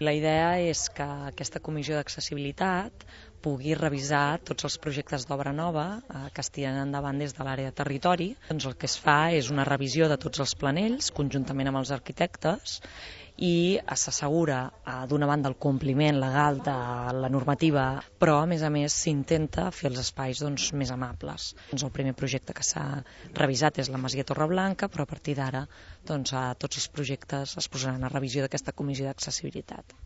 La idea és que aquesta comissió d'accessibilitat pugui revisar tots els projectes d'obra nova que es tiren endavant des de l'àrea de territori. Doncs el que es fa és una revisió de tots els planells, conjuntament amb els arquitectes, i s'assegura, d'una banda, el compliment legal de la normativa, però, a més, s'intenta fer els espais més amables. El primer projecte que s'ha revisat és la Masia Torreblanca, però a partir d'ara tots els projectes es posaran a revisió d'aquesta comissió d'accessibilitat.